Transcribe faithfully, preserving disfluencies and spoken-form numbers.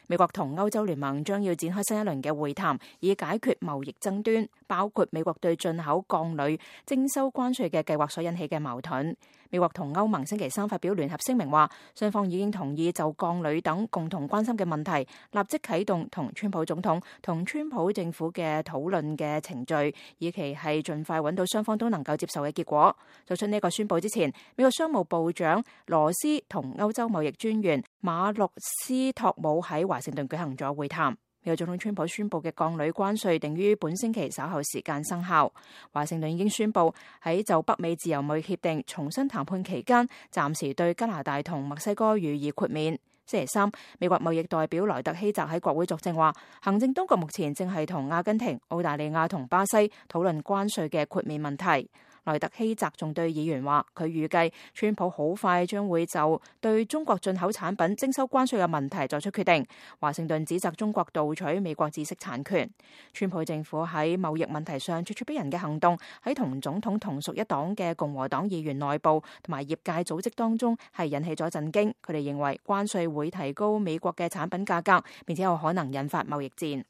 美國同歐洲聯盟將要展開新一輪嘅會談，以解決貿易爭端，包括美國對進口鋼鋁徵收關稅嘅計劃所引起嘅矛盾。美國同歐盟星期三發表聯合聲明話，雙方已經同意就鋼鋁等共同關心嘅問題，立即啟動同川普總統同川普政府嘅討論嘅程序，以期係盡快揾到雙方都能夠接受嘅結果。做出呢個宣佈之前，美國商務部長羅斯同歐洲貿易專員馬洛斯托姆喺華盛頓舉行咗會談。美國總統川普宣布嘅鋼鋁關稅定於本星期稍後時間生效。華盛頓已經宣布喺就北美自由貿易協定重新談判期間，暫時對加拿大同墨西哥予以豁免。星期三，美國貿易代表萊特希澤喺國會作證話，行政當局目前正係同阿根廷、澳大利亞同巴西討論關稅嘅豁免問題。萊特希澤仲對議員話，佢預計川普好快將會就對中國進口產品徵收關稅嘅問題作出決定。華盛頓指責中國盜取美國知識產權。川普政府喺貿易問題上咄咄逼人嘅行動，喺同總統同屬一黨嘅共和黨議員內部同埋業界組織當中係引起咗震驚。佢哋認為關稅會提高美國嘅產品價格，並且有可能引發貿易戰。